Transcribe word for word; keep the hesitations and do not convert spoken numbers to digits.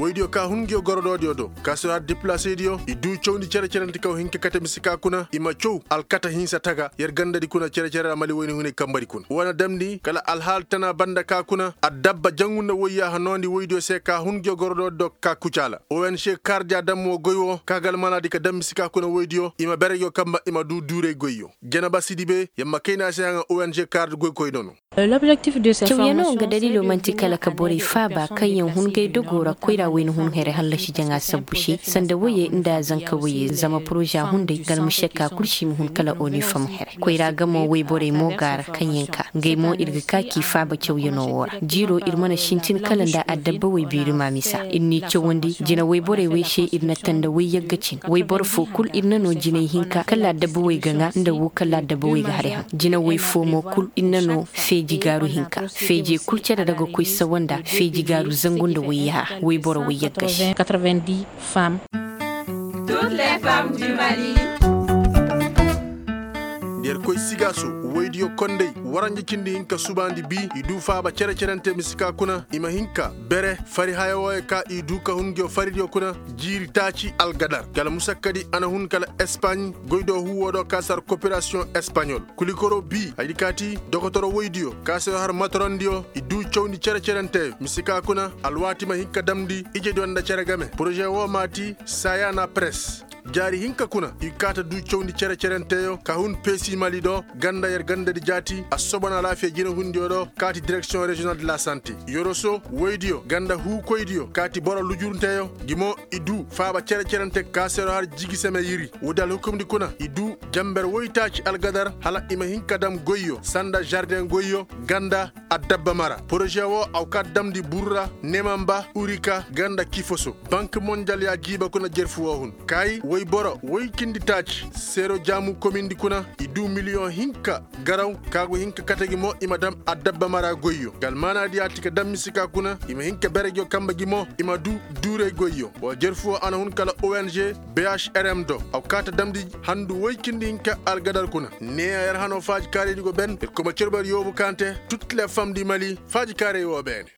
Woydiyo ka hun nguyo gorodoodiyo do ka si har diplasediyo i duu cawndi cere-cerante kaw hin ka kate mise ka kuna i ma caw alkata hinsa taga yer gandadi kuna cere-cere ra mali woyni hunay kambadi kuna woo na damndi kala alhaali tana banda ka kuna addabba jangu nda woyyaaha noondi woydiyo se ka hun nguyo gorodoodi do ka kucaala. Ong kaardi a dam woo goy woo ka ga almanaadi ka dam mise ka kuna woydiyo i ma bere nguyo kamba i ma duu duuray goyyo. Janaba sidibe yer ma kayna se haŋa ong kaardi goykoy nono. Cawyanoo nga daliiloo man'ti kala ka borey faaba kaŋyaŋ hun gay dogoo ra koyraa wayna hun here hallasi jaŋa sabbu se sanda woyey nda zanka woyey zama poroza hunday galma sekka kul se i ma hun kala onifam here. Koyraa ga mo woyborey mo ga a ra kaŋyaŋ ka ngey mo ir ga ka k'i faaba cawyanoo woo ra jiiroo ir mana sintin kala nda adabba woy biirima misa ir n'i cawandi jina woyborey wey se ir na tanda woy yagga cin woyboro foo kul ir na noo jinay hinka kala adabba woy ga ŋaa nda woo kala adabba woy ga haray haŋ jina woy foo mo kul ir na noo feeji gaaru hinka feejey kul cere ra ga koy sawa nda feeji gaaru zangu nda woy yaha woyboro woy yagga se. Nda yer koy sigaaso woydiyo kondey waranja cindi hinka subaandi bii i duu faaba cere-cerante mise ka kuna i ma hin ka bere fari haya wooyo ka i duu ka hun nguyo faridiyo kuna jiiri taaci algadar kala musakkadi a na hun kala espaaɲ goydoo huwoo do ka si har koperasiyoŋ espaaɲol kulikoroo bii hayadi kaati dokotoro woydiyo ka si har matorondiyo i duu cawndi cere-cerenteyo mise ka kuna alwaati ma hin ka damndi ijediyo nda cere game poroze woo maati sayaana peres jaari hinka kuna i kaata duu cawndi cere-cerenteyo ka hun peesi mali do ganda yer gandadi jaati assobon alaafiya jinehundiyo do kaati direksiyoŋ reziyonal de la sante yoroso woydiyo ganda huukoydiyo kaati boro lujurunteyo gi mo i duu faaba cere-cerante kaaseero har jigiseme yiri woodi alhukumdi kuna i duu janber woytaaci algadar hala i ma hin ka dam goyyo sanda žardeŋ goyyo ganda adabba mara poroze woo a wa kaa damndi burra nemamba urika ganda kifoso bank monjal y'a jiiba kuna jerfu woo hun kaayi woyboro woy cindi taaci seero jaamu komindi kuna i duu miliyoŋ hinka garaw ka go hin ka kate gi mo i ma dam adabba mara goyyo nga almaanaadi y'a ti ka dam mise ka kuna i ma hin ka bere nguyo kamba gi mo i ma duu duuray goyyo woo jerfu woo a na hun kala ong bhrm do a wa kaa ta damndi handu woy cindi hinka algadar kuna neeya yer hanoo faajikaaraydi go ben ir koma cerber yoobu kaŋ te tutlefam di mali faajikaaray woo beene.